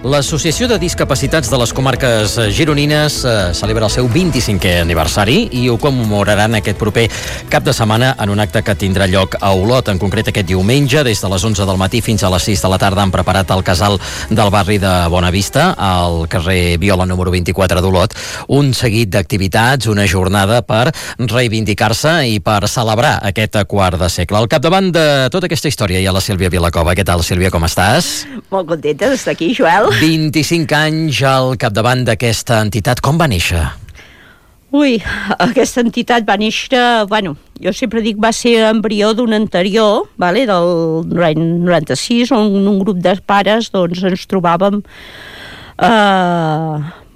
L'Associació de Discapacitats de les Comarques Gironines celebra el seu 25è aniversari i ho commemoraran aquest proper cap de setmana en un acte que tindrà lloc a Olot. En concret, aquest diumenge, des de les 11 del matí fins a les 6 de la tarda, han preparat al casal del barri de Bonavista, al carrer Viola número 24 d'Olot, un seguit d'activitats, una jornada per reivindicar-se i per celebrar aquest quart de segle. Al capdavant de tota aquesta història hi ha la Sílvia Vilacova. Què tal, Sílvia, com estàs? Molt contenta d'estar aquí, Joel. 25 anys al capdavant d'aquesta entitat. Com va néixer? Ui, aquesta entitat va néixer, jo sempre dic va ser embrió d'un anterior, del 96, on un grup de pares ens trobàvem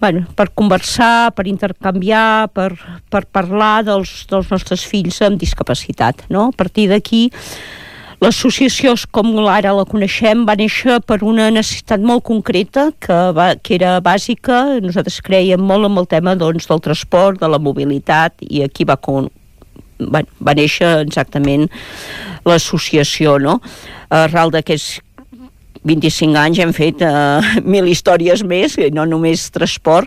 per conversar, per intercanviar, per parlar dels nostres fills amb discapacitat, no? A partir d'aquí, l'associació, com ara la coneixem, va néixer per una necessitat molt concreta que era bàsica. Nosaltres creiem molt en el tema del transport, de la mobilitat, i aquí va néixer exactament l'associació, no? Arrel d'aquests 25 anys hem fet 1000 històries més, no només transport,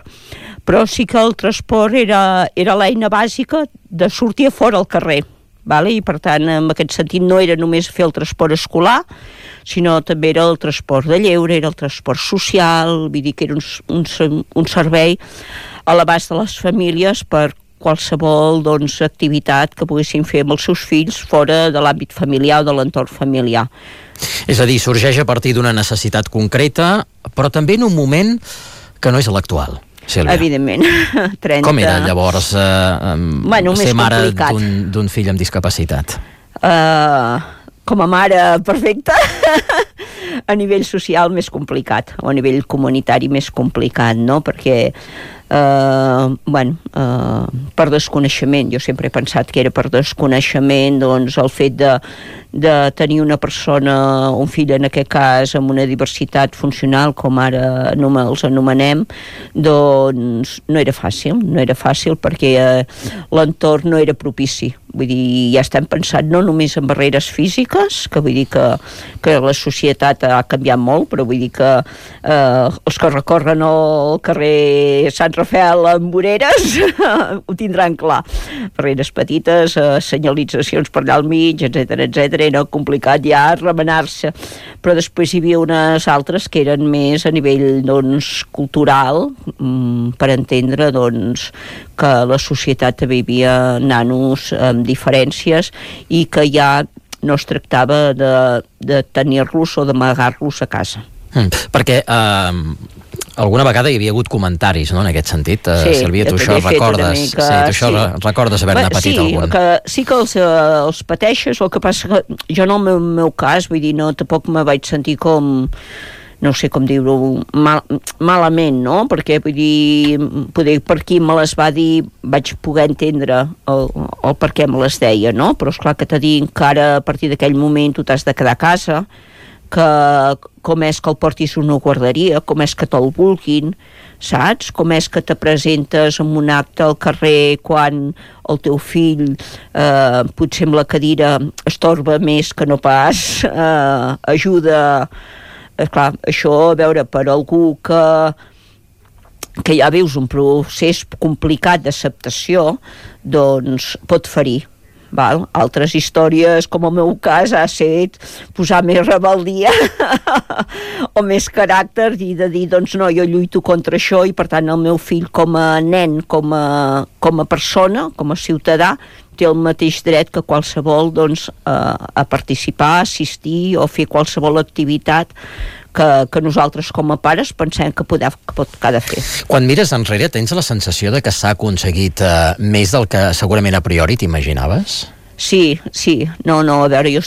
però sí que el transport era l'eina bàsica de sortir a fora al carrer. I per tant, en aquest sentit, no era només fer el transport escolar, sinó també era el transport de lleure, era el transport social, vull dir que era un servei a l'abast de les famílies per qualsevol activitat que poguessin fer amb els seus fills fora de l'àmbit familiar o de l'entorn familiar. És a dir, sorgeix a partir d'una necessitat concreta, però també en un moment que no és l'actual. Sílvia. Evidentment. 30... Com era llavors ser mare d'un fill amb discapacitat? Com a mare perfecta, a nivell social més complicat, o a nivell comunitari més complicat, no? Perquè per desconeixement, jo sempre he pensat que era per desconeixement, el fet de tenir una persona, un fill en aquest cas, amb una diversitat funcional, com ara els anomenem, no era fàcil perquè l'entorn no era propici. Vull dir, ja estem pensant no només en barreres físiques, que vull dir que la societat ha canviat molt, però vull dir que els que recorren el carrer Sant Rafel amb voreres ho tindran clar. Barreres petites, senyalitzacions per allà al mig, etc. Era complicat ja remenar-se. Però després hi havia unes altres que eren més a nivell cultural, per entendre que la societat també hi havia nanos amb diferències i que ja no es tractava de tenir-los o d'amagar-los a casa. Perquè alguna vegada hi havia hagut comentaris, no?, en aquest sentit. Sílvia, tu això recordes? Recordes haver-ne patit algun? Sí que els pateixes, el que passa que jo en el meu cas, vull dir, tampoc me vaig sentir com, no sé com dir-ho, malament, no? Perquè, vull dir, poder per qui me les va dir vaig poder entendre el per què me les deia, no? Però esclar que t'ha dit que ara, a partir d'aquell moment, tu t'has de quedar a casa, que com és que el portis a una guarderia, com és que te'l vulguin, saps? Com és que te presentes en un acte al carrer quan el teu fill potser amb la cadira estorba més que no pas ajuda. Clar, això, a veure, per algú que ja veus un procés complicat d'acceptació, pot ferir. Altres històries, com el meu cas, ha estat posar més rebeldia o més caràcter i de dir, no, jo lluito contra això i per tant el meu fill com a nen, com a persona, com a ciutadà, té el mateix dret que qualsevol a participar, assistir o fer qualsevol activitat que nosaltres com a pares pensem que ha de fer. Quan mires enrere, tens la sensació de que s'ha aconseguit més del que segurament a priori t'imaginaves? Sí. No, a veure, jo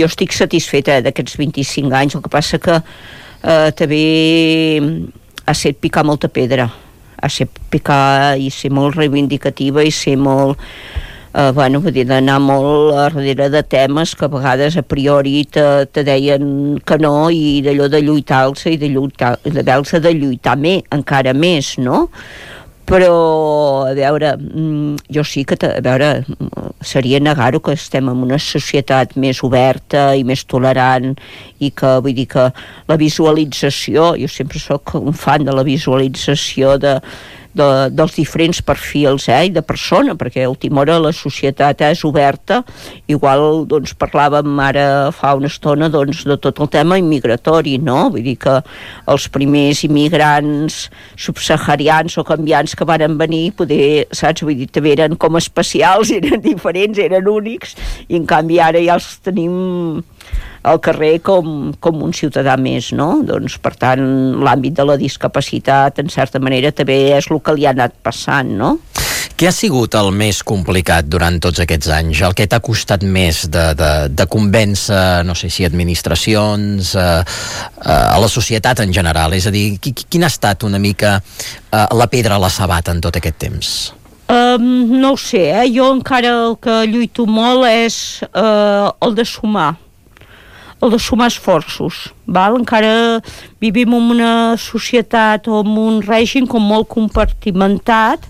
estic satisfeta d'aquests 25 anys, el que passa que també ha set picar molta pedra, ha set picar i ser molt reivindicativa i ser molt... vull dir, d'anar molt darrere de temes que a vegades a priori te deien que no, i d'allò de lluitar-se i de lluitar encara més, no? Però, a veure, jo sí que, a veure, seria negar-ho, que estem en una societat més oberta i més tolerant, i que, vull dir que la visualització, jo sempre sóc un fan de la visualització dels diferents perfils i de persona, perquè a última hora la societat és oberta. Igual doncs parlàvem ara fa una estona doncs, de tot el tema immigratori, no? Vull dir que els primers immigrants subsaharians o canviants que varen venir, poder, saps? Vull dir, també eren com especials, eren diferents, eren únics, i en canvi ara ja els tenim al carrer com un ciutadà més, no? Doncs, per tant, l'àmbit de la discapacitat, en certa manera, també és el que li ha anat passant, no? Què ha sigut el més complicat durant tots aquests anys? El que t'ha costat més de convèncer, no sé si administracions, a la societat en general? És a dir, quina ha estat una mica la pedra a la sabata en tot aquest temps? No ho sé, jo encara el que lluito molt és el de sumar esforços, val? Encara vivim en una societat o en un règim com molt compartimentat,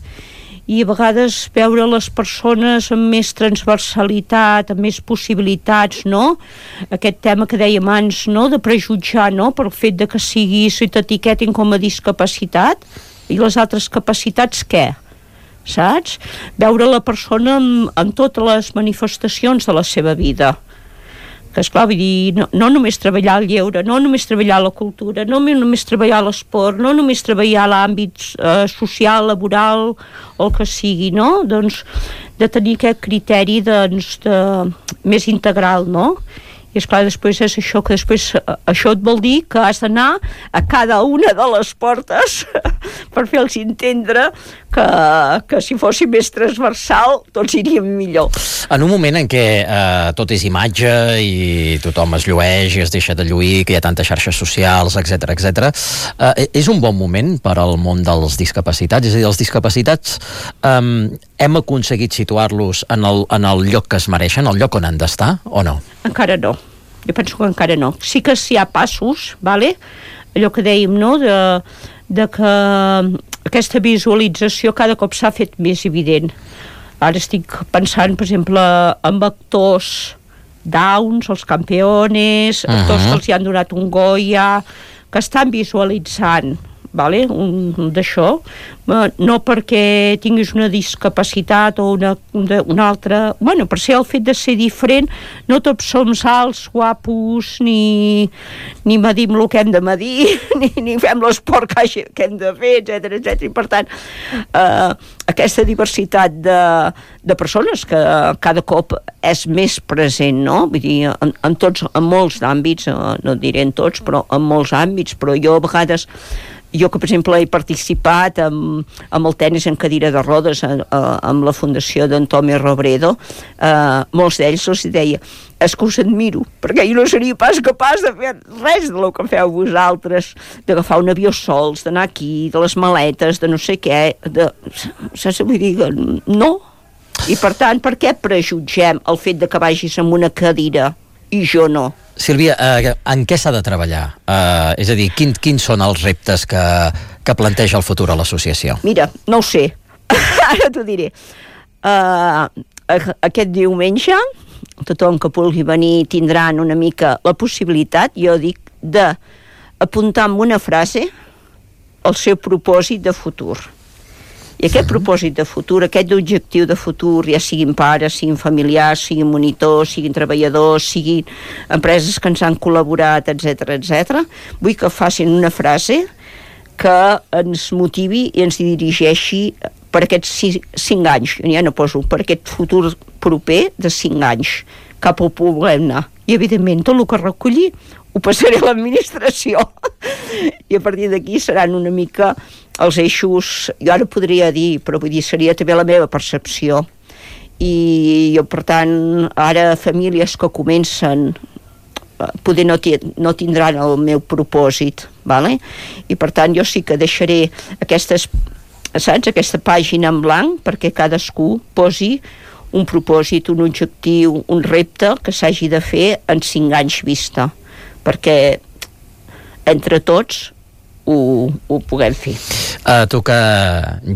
i a vegades veure les persones amb més transversalitat, amb més possibilitats, no? Aquest tema que dèiem abans, no? De prejutjar, no? Per el fet de que t'etiquetin com a discapacitat, i les altres capacitats què? Saps? Veure la persona en totes les manifestacions de la seva vida. Que esclar, vull dir, no només treballar el lleure, no només treballar la cultura, no només treballar l'esport, no només treballar l'àmbit social, laboral, o el que sigui, no? Doncs de tenir aquest criteri més integral, no? I esclar, després és això, que després això et vol dir que has d'anar a cada una de les portes per fer-los entendre que si fossi més transversal tots iríem millor. En un moment en què tot és imatge i tothom es llueix i es deixa de lluir, que hi ha tantes xarxes socials, etc., és un bon moment per al món dels discapacitats? És a dir, els discapacitats hem aconseguit situar-los en el lloc que es mereixen, el lloc on han d'estar, o no? Encara no. Jo penso que encara no. Sí que hi ha passos, vale? Allò que dèiem, no?, de que aquesta visualització cada cop s'ha fet més evident. Ara estic pensant, per exemple, en actors Downs, els campeones, actors que els hi han donat un Goya, que estan visualitzant, vale? D'això, no perquè tinguis una discapacitat o una altra, bueno, per ser el fet de ser diferent, no tots som alts, guapos, ni medim el que hem de medir, ni fem l'esport que hem de fer, etc. I per tant, aquesta diversitat de persones que cada cop és més present, no? Vull dir, en molts àmbits, no diré en tots, però en molts àmbits, però jo a vegades, jo que per exemple he participat amb el tenis en cadira de rodes amb la fundació d'Antonio Robredo, molts d'ells els deia, és que us admiro, perquè jo no seria pas capaç de fer res del que feu vosaltres, d'agafar un avió sols, d'anar aquí, de les maletes, de no sé què, saps? Vull dir, no. I per tant, per què prejutgem el fet de que vagis amb una cadira i jo no? Sílvia, en què s'ha de treballar? És a dir, quins són els reptes que planteja el futur a l'associació? Mira, no ho sé. Ara t'ho diré. Aquest diumenge, tothom que pugui venir tindran una mica la possibilitat, jo dic, d'apuntar amb una frase el seu propòsit de futur. I aquest propòsit de futur, aquest objectiu de futur, ja siguin pares, siguin familiars, siguin monitors, siguin treballadors, siguin empreses que ens han col·laborat, etc., vull que facin una frase que ens motivi i ens dirigeixi per aquests 5 anys, jo ja no poso, per aquest futur proper de 5 anys, cap on puguem anar. I, evidentment, tot el que recolli ho passaré a l'administració. I a partir d'aquí seran una mica els eixos, jo ara podria dir, però vull dir, seria també la meva percepció. I jo, per tant, ara famílies que comencen poder no tindran el meu propòsit, vale? I per tant jo sí que deixaré aquesta pàgina en blanc perquè cadascú posi un propòsit, un objectiu, un repte que s'hagi de fer en 5 anys vista, perquè entre tots ho puguem fer. Tu que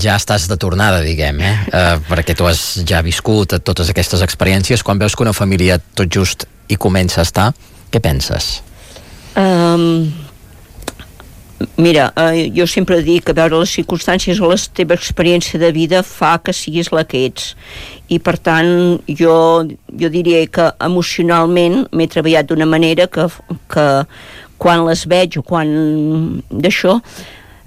ja estàs de tornada, diguem, perquè tu has ja viscut totes aquestes experiències, quan veus que una família tot just hi comença a estar, què penses? Mira, jo sempre dic que veure les circumstàncies o la teva experiència de vida fa que siguis la que ets, i per tant jo diria que emocionalment m'he treballat d'una manera que quan les veig o quan d'això,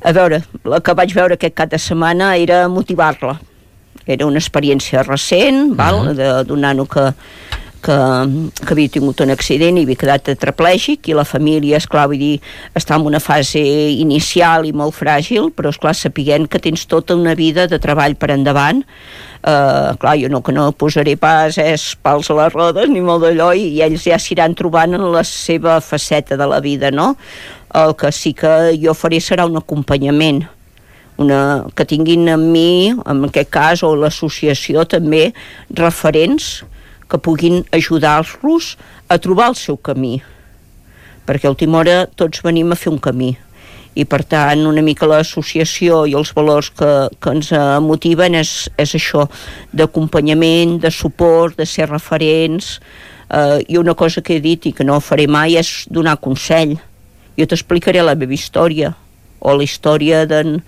a veure, la que vaig veure aquest cap de setmana era motivar-la. Era una experiència recent, d'un nano que havia tingut un accident i havia quedat tetraplègic, i la família, esclar, vull dir, està en una fase inicial i molt fràgil, però esclar, sapiguent que tens tota una vida de treball per endavant. Clar, jo no posaré pas pals a les rodes ni molt d'allò, i ells ja s'iran trobant en la seva faceta de la vida, no? El que sí que jo faré serà un acompanyament, que tinguin amb mi, en aquest cas, o l'associació també, referents que puguin ajudar-los a trobar el seu camí, perquè a última hora tots venim a fer un camí, i per tant una mica l'associació i els valors que ens motiven és això, d'acompanyament, de suport, de ser referents. I una cosa que he dit i que no faré mai és donar consell. Jo t'explicaré la meva història, o la història d'en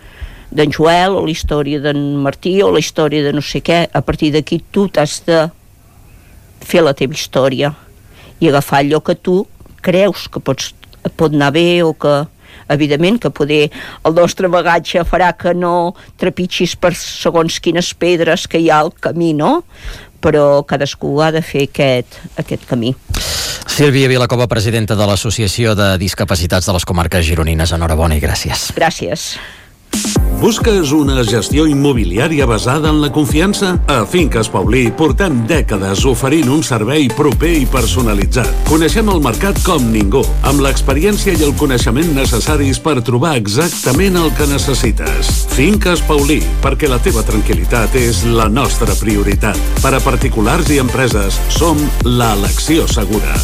Joel, o la història d'en Martí, o la història de no sé què. A partir d'aquí tu t'has de fer la teva història i agafar allò que tu creus que pot anar bé, o que evidentment que poder el nostre bagatge farà que no trepitgis per segons quines pedres que hi ha al camí, no? Però cadascú ha de fer aquest camí. Sílvia Vilacova, presidenta de l'Associació de Discapacitats de les Comarques Gironines, enhorabona i gràcies. Gràcies. Busques una gestió immobiliària basada en la confiança? A Finques Paulí portem dècades oferint un servei proper i personalitzat. Coneixem el mercat com ningú, amb l'experiència i el coneixement necessaris per trobar exactament el que necessites. Finques Paulí, perquè la teva tranquil·litat és la nostra prioritat. Per a particulars i empreses, som l'elecció segura.